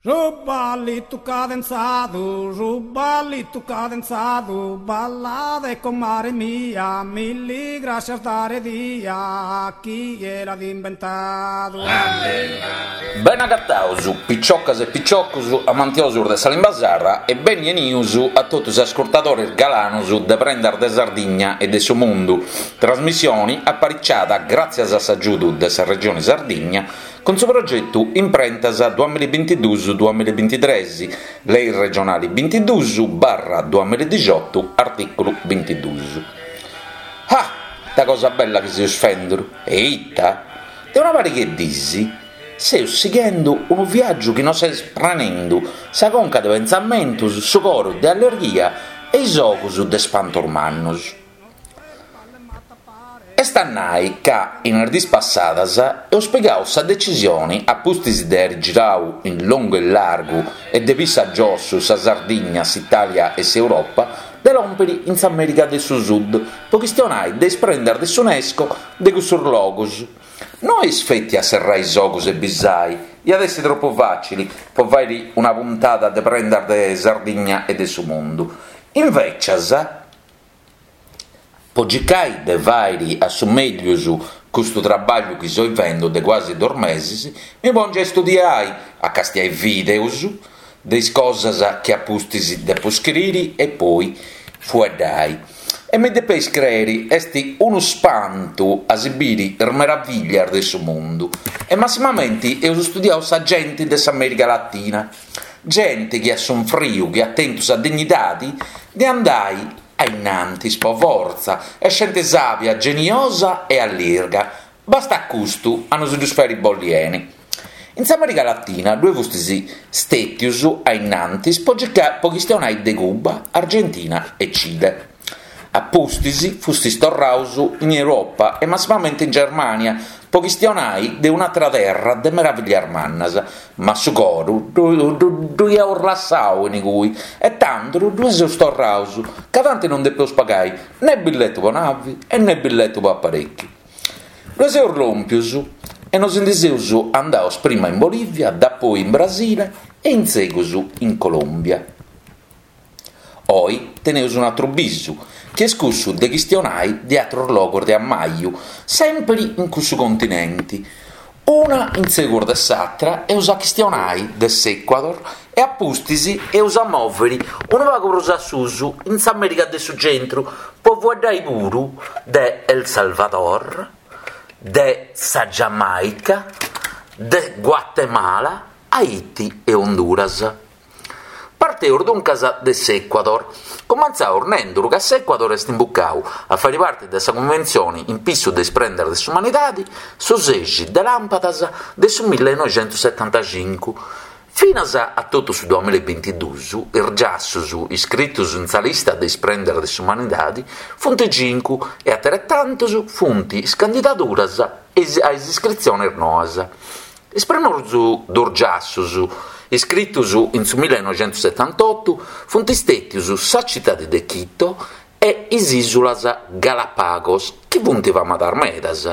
Su ballitu cadenzadu, su ballitu cadenzadu, ballade comare mia, milli grascias dare dia, chie l'at imbentadu. Bene agataus, piciocas e piciocus amantiosus de sa limba sarda e beni 'enius a totu is ascurtadores galanus de Prendas de Sardigna e de su Mundu, trasmissioni apariciada gràtzias a s'agiudu de sa Regioni Sardigna Cun su progetu Imprentas duamillabintiduus duamillabintitres, Lei regionali bintiduus barra duamilladixotu, artìculu bintiduus. Ah! Ita cosa bella chi seus fenduru! E ita? De una pariga 'e dis seus sighendu unu viàgiu chi nos est prenendu sa conca de pentzamentus, su coru de allerghia e is ogus de spantus mannus. Est a nai ca in is dis passadas eus pigau sa decisioni, a pustis de airi girau in longu e largu e de pissu a giossu sa Sardigna, s'Italia e s'Europa, de lòmpiri in s'America de su Sud po chistionai de is prendas de s'Unesco de cussus logus. No est feti a serrai is ogus e bisai, iat essi tropu facili po fairi una puntada de prendas de Sardigna e de su mundu. Invecias, Po circai de fàiri a su mèglius custu trabagliu chi soi fendu de cuasi dus mesis, mi pòngiu a istudiai, a castiai vìdeus de is cosas chi a pustis depu scriri e poi fueddai. E mi depeis creri, est unu spantu a si biri is meraviglias de su mundu. E massimamenti eus studiau sa genti de s'America Latina. Genti chi at sunfriu, chi at tentu sa dignidadi de andai a innantis po fortza, est genti sàbia, geniosa e allirga. Bastat custu a nos ddus fàiri bolli 'eni. In s'America Latina ddue fustis stètius a innantis po po chistionai de Cuba, Argentina e Cile. A pustis fustis torraus in Europa e massimamenti in Germania po chistionai de un'atra terra de meraviglias mannas, ma su coru ddu iaus lassau in igui e tandu ddue seus torraus, ca tanti non depeus pagai né billetu po navi e né billetu po aparèchiu. Ddue seus lòmpius e nos ndi seus andaus prima in Bolivia, dapoi in Brasile e in segus in Colombia. Oi teneus un'atru bisu, chi est cussu de chistionai de atrus logus de ammaju, sèmpiri in cussu continenti. Una in segus de s'atra eus a chistionai de s'Ecuador e a pustis eus a mòviri unu pagu prus a susu in s'America de su Centru po fueddai puru de El Salvador, de sa Giamaica, de Guatemala, Haiti e Honduras. Parteus duncas de s'Ecuador. Cumentzaus nenduru ca s'Ecuador est imbucau a fari parti de sa Cunventzioni in pissu de is prendas de s'umanidadi su sexi de làmpadas de su millenoixentussetantacincu. Finas a totu su duamillabintiduus is giassus iscritus in sa lista de is prendas de s'umanidadi funt cincu e ateretantus funt is candidaduras a is iscritzionis noas. Is primus dus giassus, iscritus in su millenoixentussetantotu, funt stètius sa citadi de Quito e is ìsulas Galapagos, chi funt famadas medas.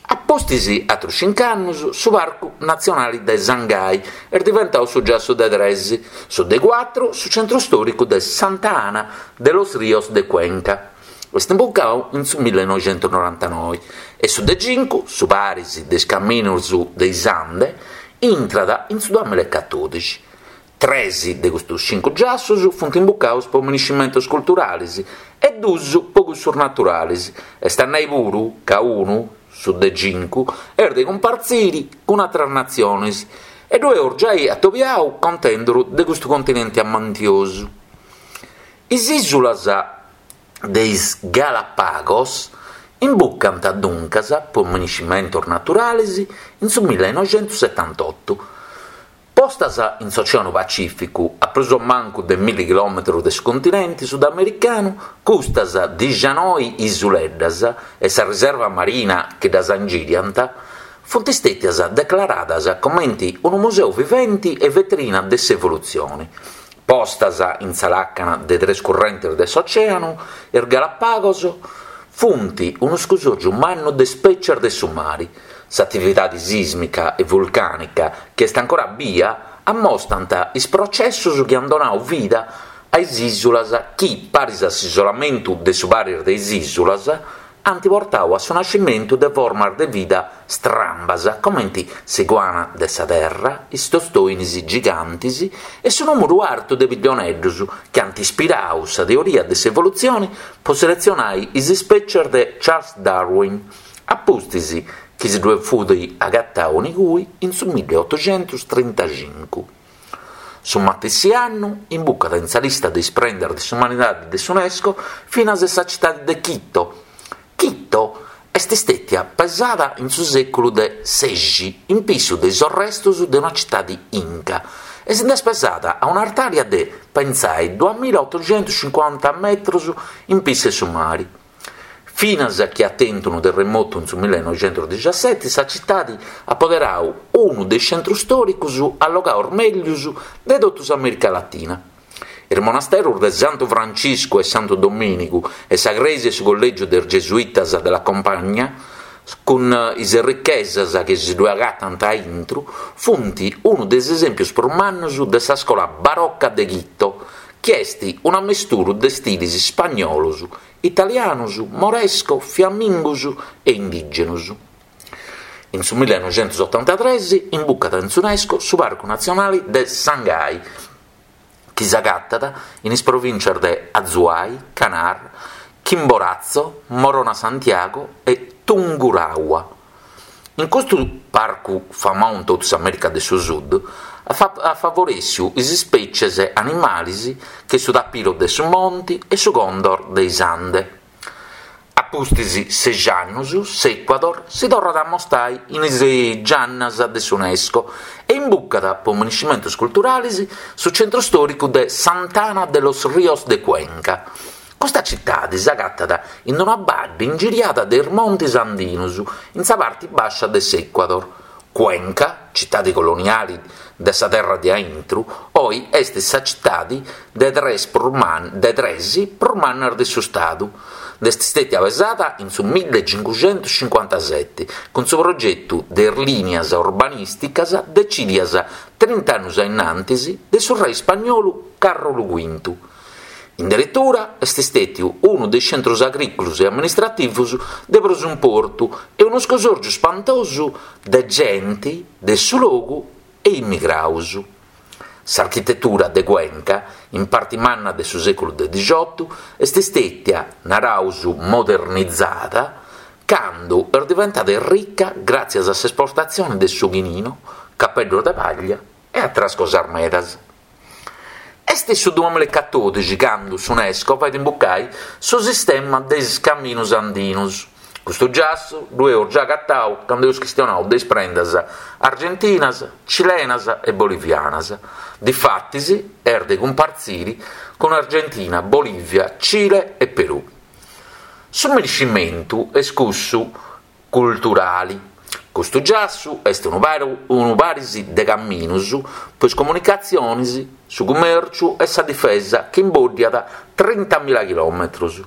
A pustis atrus cinc'annus su Parcu Natzionali de Sangay est diventau su giassu de tres, su de cuatru su centru stòricu de Santa Ana de los Ríos de Cuenca. Est imbucau in su millenoixentusnorantanoi e su de cincu, su paris de is caminus de is Ande, intrat in su duamillacatodixi. Tres de custus cincu giassus funt imbucaus po miniscimentus culturalis e dus po cussus naturalis, est a nai puru ca unu, su de cincu, est de cumpartziri cun atras natzionis e ddu eus giai atobiau contenduru de custu continenti amantiosu. Is ìsulas de is Galapagos imbucant duncas po miniscimentos naturales in su millenoixentussetantotu. Postas in s'Oceanu Pacìficu, a prus o mancu de milli chilòmetros de su continente sudamericanu, custas dixanoi isuleddas e sa riserva marina chi ddas ingìriant funt stètias declaradas comenti unu museu viventi e vetrina de s'evolutzione. Postas in sa làcana de tres currentes de s'ocèanu, is Galapagos funt unu scusòrgiu mannu de spècias de su mari. S'atividade sìsmica e vulcànica, chi est ancora bia, Ammostant is processus chi ant donau vida a is ìsulas chi, paris a s'isolamentu de su paris de is ìsulas, ant portau a su nascimentu de formas de vida strambas comenti s'iguana de sa terra, is tostoinis gigantis e su nùmuru artu de pillioneddus chi ant ispirau sa teoria de s'evolutzioni po seletzionai is ispètzias de Charles Darwin a pustis chi si ddue fut agatau inigui in su milliotoxentustrintaxincu. Su matessi annu imbucat in sa lista de is prendas de s'umanidadi de s'Unesco finas sa citadi de Quito. Quito est stètia pesada in su sèculu de sexi in pissu de is orrestus de una citadi Inca e si nd'est pesada a un'artària de, pentzai, duamilaotoxentuscincuanta metrus in pissu 'e su mari. Finas chi at tentu unu terremotu in su millenoixentusdixaseti, sa citadi at poderau unu de is centrus stòricus allogaus mèglius de totu s'Amèrica Latina. Is monasterus de Santu Franciscu e Santu Domìnigu e sa crèsia e su collègiu de is Gesuitas de la Compañía, cun is errichesas chi si ddue agatant a intru, funt unu de is esèmpius prus mannus de sa scola baroca de Quito, chi est un'ammesturu de stilis ispagnolos, italianus, moresco, fiammingus e indìgenus. In su millenoixentusotantatres imbucat in s'Unesco su Parcu Natzionali de Sangay, chi s'agatat in is provìntzias de Azuay, Canar, Chimborazo, Morona Santiago e Tungurahua. In custu parcu famau in totu s'Amèrica de su Sud, at favorèssiu is ispècies animalis che su tapiro de su monti e su condor de is Ande. A pustis sexi annus s'Ecuador si torrat a amostai in is giannas de s'Unesco e imbucat po miniscimentus culturalis su centru stòricu de Sant'Ana de los Ríos de Cuenca. Custa citadi s'agatat in una baddi ingiriada de is montis andinus, in sa parti bàscia de s'Ecuador. Cuenca, citadi coloniali de sa terra de aintru, oi est sa citadi de tres prus de tres prus mannas de su stadu. Nd'est stètia pesada in su millecincuxentuscincuantaseti cun su progetu de is lìnias urbanìsticas decìdias trint'annus a innantis de su re ispagnolu Càrrolu Cuintu. In deretura est stètiu unu de is centrus agrìculus e amministrativus de prus importu e unu scusòrgiu spantosu de genti de su logu e immigraus. S'architetura de Cuenca, in parti manna de su sèculu de dixiotu, est stètia, naraus, modernizada, candu est diventada errica gràtzias a s'esportatzioni de su chinino, capeddus de paglia e atras cosas medas. Est su duamilaecatòdixi candu s'Unesco fait imbucai su sistema de is caminus andinus. Custu giassu ddu eus già agatau candu eus chistionau de is prendas argentinas, cilenas e bolivianas. Difatis est de cumpartziri cun Argentina, Bolivia, Cile e Perù. Su miniscimentu est cussu culturali. Custu giassu est unu unu paris de caminus po is comunicatzionis, su cumèrciu e sa difesa chi imboddiat trintamila chilòmetrus.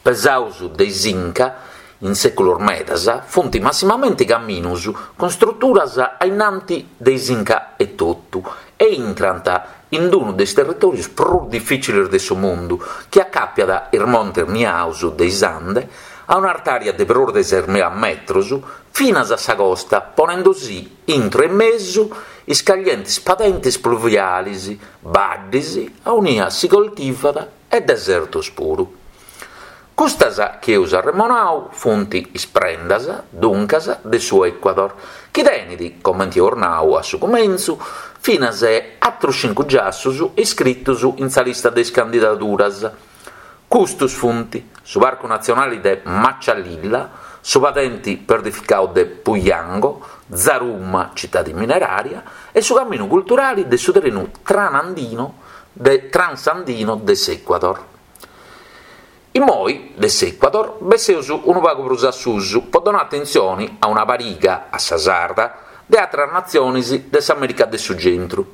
Pesaus de is Inca in sèculos medas, funt massimamenti caminus cun struturas a innanti de is Inca etotu e intrant in unu de is territòrius prus difìcilis de su mundu chi acapiat is montes niaus de is Ande a un'artària de prus de sesmila metrus finas a sa costa ponendusì intro e mesu is caglientis padentes pluvialis, baddis aunia si coltivat e desertos puru. Custas chi eus arremonau funt is prendas, duncas, de su Ecuador, chi tenit, comenti eus nau a su cumentzu, finas e atrus cincu giassus iscritus in sa lista de is candidaduras. Custus funt, su Parcu Natzionali de Machalilla, su Padenti Perdificau de Puyango, Zaruma, citadi minerària, e su Caminu Culturali de su Trenu Tranandino de Transandino de s'Ecuador. Immoi de s'Ecuador besseus unu pagu prus a susu po donai atentzioni a una pariga, a sa sarda, de atras natzionis de s'America de su Centru.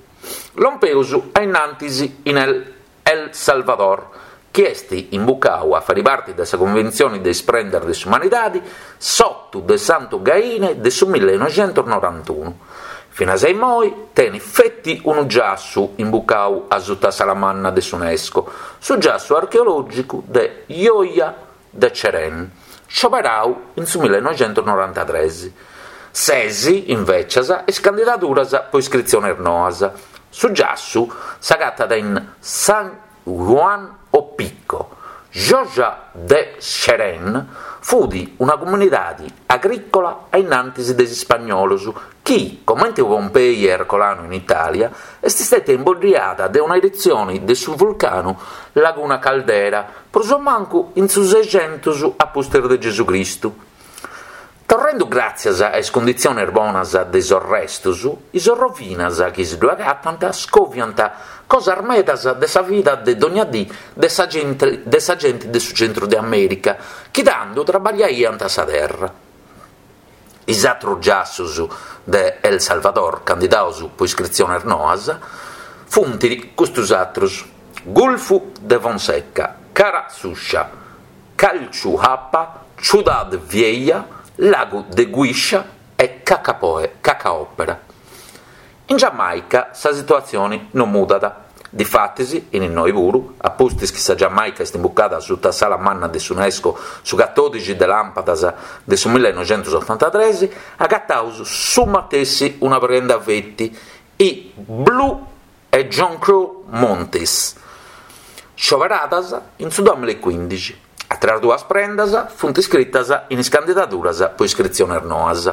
Lompeus a innantis in El El Salvador, chi est imbucau a fari parti de sa Cunventzioni de is Prendas de s'Umanidadi s'otu de Santu Gaine de su millenoixentusnorantunu. Finas a immoi tenit feti unu giassu imbucau asuta s'ala manna de s'Unesco, su giassu archeològicu de Joya de Cerén, scioberau in su millenoixentusnorantatres. Ses, invècias, is candidaduras po iscritziones noas. Su giassu s'agatat in San Juan Opico, Joya de Cerén fut una comunidadi agrìcola a innantis de is ispagnolos chi, comente Pompei e Ercolano in Itàlia, est stètia imboddiada de una erutzioni de su vulcanu Laguna Caldera prus o mancu in su sexentus a pustis de Gesù Cristu. Torrendu gràtzias a is cunditziones bonas de is orrestus, is orrovinas chi si ddu agatant scoviant cosas medas de sa vida de dogna dì de sa genti de sa genti de su centru de Amèrica chi tandu trabagliaiant sa terra. Is atrus giassus de El Salvador candidaus po iscritziones noas funt custus atrus, Gulfu de Fonseca, Cara Sucia, Chalchuapa, Ciudad Vieja, Lagu de Guixa e Cacaopera. In Giamaica sa situatzioni non mudat. Difatis, in innoi puru, a pustis chi sa Giamaica est imbucada suta s'ala manna de s'Unesco su catòdixi de làmpadas de su millenoixentusotantatres, agataus su matessi una prenda feti, is Blue e John Crow Montis, scioberadas in su duamilla e cuindixi. Àteras duas prendas funt iscritas in is candidaduras po iscritziones noas.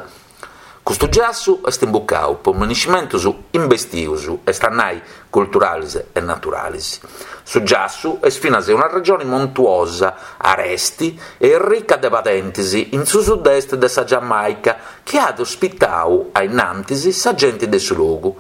Custu giassu est imbucau po miniscimentus imbestius, est a nai culturalis e naturalis. Su giassu est finas una regioni montuosa, aresti e rica de padentis in su sud-est de sa Giamaica chi at ospitau a innantis sa genti de su logu.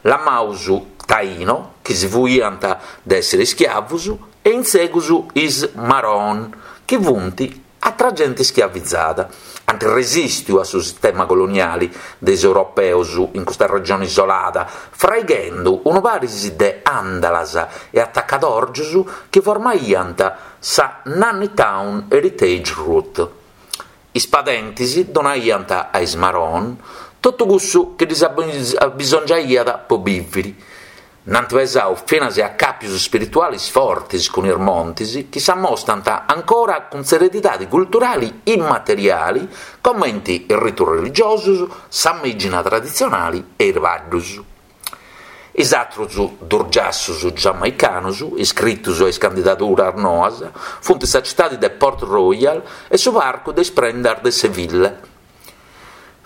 Lamaus Taino, chi si fuiant de èssere ischiavos, e in segus is Maroon, chi funt atra genti ischiavizada. Ant resìstiu a su sistema coloniali de is europeos in custa regione isolada, fraighendu unu paris de àndalas e atacadòrgios chi formaiant sa Nanny Town Heritage Route. Is padentis donaiant a is Maroon totu cussu chi ddis abisongiaiat po bìviri. Nd'ant pesau finas acàpius spiritualis fortis cun is montis chi s'ammostant ancora cun s'eredidadi culturali immateriali comenti is ritus religiosus, sa mexina traditzionali e is baddus. Is atrus dus giassus giamaicanus iscritus a is candidaduras noas funt sa citadi de Port Royal e su parcu de is prendas de Seville.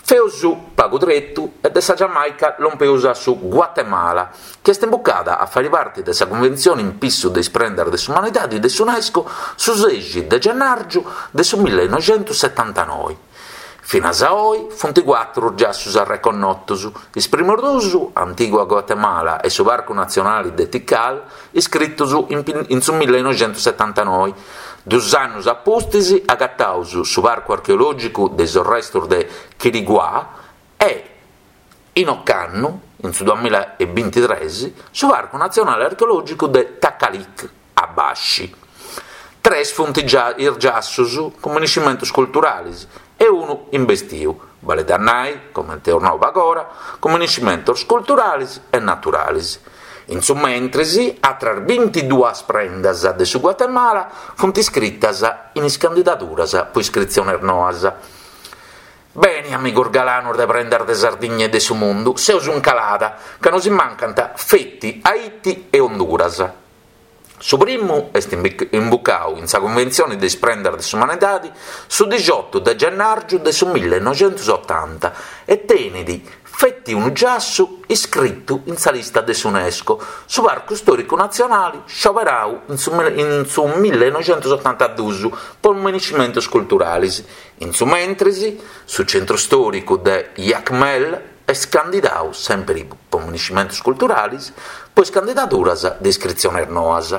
Feus pagu tretu e de sa Giamaica lompeus a su Guatemala, chi est imbucada a fari parti de sa Cunventzioni in pissu de is prendas de s'umanidadi de s'Unesco su sexi de gennàrgiu de su millenoixentussetantanoi. Finas a oi funt cuatru giassus arreconnotus, is primus dus, Antigua Guatemala e su Parcu Natzionali de Tikal, iscritus in su millenoixentussetantanoi. Dus annus a pustis agataus su Parcu Archeològicu de is orrestus de Quiriguá e, in ocannu, in su duamilla e bintitres, su Parcu Natzionali Archeològicu de Takalik. A Baxi. Tres funt is giassus cun miniscimentus culturalis e unu imbestiu, balit a nai, comente eus nau pagora, cun miniscimentus culturalis e naturalis. In su mentris, atras bintiduas prendas de su Guatemala funt iscritas in is candidaduras po iscritziones noas. Beni, amigus galanus de prendas de Sardigna e de su mundu, seus in calada, ca nosi mancant feti Haiti e Honduras. Su primu est imbucau in sa Cunventzioni de is Prendas de s'Umanidadi su dixiotu de gennàrgiu de su millenoixentusotanta e tenit feti unu giassu iscritu in sa lista de s'Unesco, su Parcu Stòricu Natzionali scioberau in su in su millenoixentusotantadus po miniscimentus culturalis. In su mentris, su centru stòricu de Jacmel Est candidau sèmpiri po miniscimentus culturalis po is candidaduras de iscritziones noas.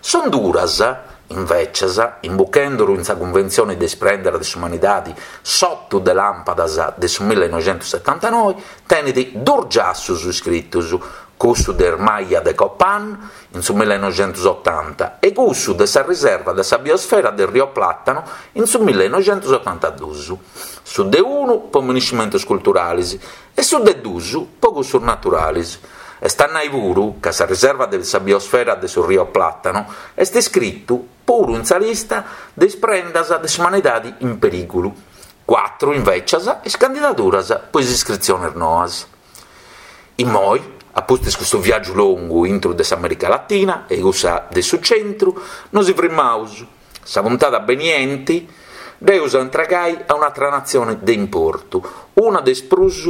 S'Honduras, invècias, imbuchenduru in sa Cunventzioni de is Prendas de s'Umanidadi s'otu de làmpadas de su millenoixentussetantanoi, tenit dus giassus iscritus. cussu de is Maya de Copán in su millenoixentusotanta e cussu de sa riserva de sa biosfera de Rio Plátano in su millenoixentusotantadus, su de unu po miniscimentus culturalis e su de dus po cussus naturalis. Est a nai puru ca sa riserva de sa biosfera de su Rio Plátano est iscritu puru in sa lista de is prendas de s'umanidadi in perìgulu. Cuatru, invècias, is candidaduras po is iscritziones noas. Immoi, a pustis custu viàgiu longu intru de s'America Latina e cussa de su centru, nosi frimmaus. Sa puntada benienti dd'eus a intregai a un'atra natzione de importu, una de is prus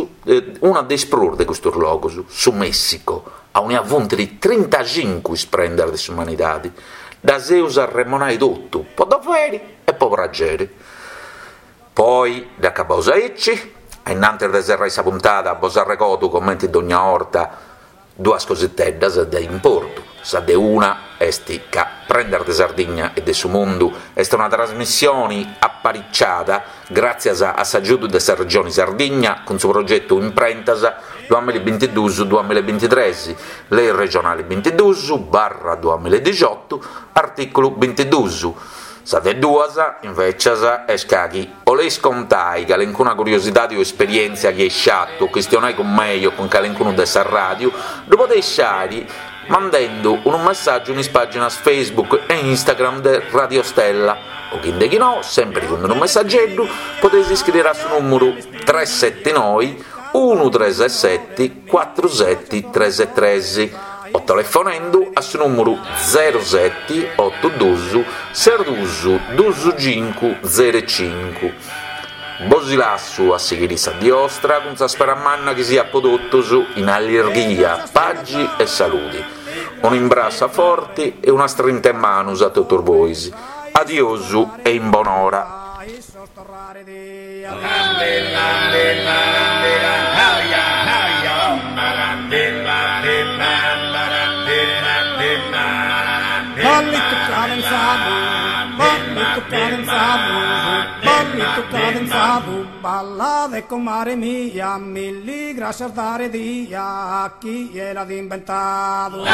una de is prus de custus logus, su Messico, aunia funt trintacincu is prendas de s'umanidadi. Ddas eus a arremonai totu, po doveri e po prageri. Po oi dd'acabaus aici, a innantis de serrai sa puntada bos arregodu comenti dogna 'orta duas cositeddas de importu, sa de una est ca Prendas de Sardigna e de su Mundu est una trasmissioni apariciada gràtzias a s'agiudu de sa Regioni Sardigna cun su progetu Imprentas duamillabintiduus duamillabintitres, Lei regionali bintiduus barra duamilladixiotu, artìculu bintiduus. Sa de duas, invècias, est ca chi 'oleis contai calencuna curiosidadi o esperièntzia chi eis fatu o chistionai cun mei o cun calencunu de sa ràdiu, ddu podeis fai mandendu unu messàgiu in is pàginas Facebook e Instagram de Radio Stella o chi ndechinò, sèmpiri cun unu messageddu, podeis iscriri a su nùmuru tres seti noi unu tres seti cuatru seti tres tres o telefonendu a su nùmuru zero seti otu dus ses dus dus cincu zero cincu. Bosi lassu a sighiri sa dì 'ostra cun sa spera manna chi siat po totus in allirghia, pagi e saludi. Un'imbrassu a forti e una strinta 'e manus a totus bois. Adiosu e in bonora. Ballitu cadenzadu, ballitu cadenzadu, ballitu cadenzadu, ballade comare mia, milli grascias dare dia, chie l'at imbentadu.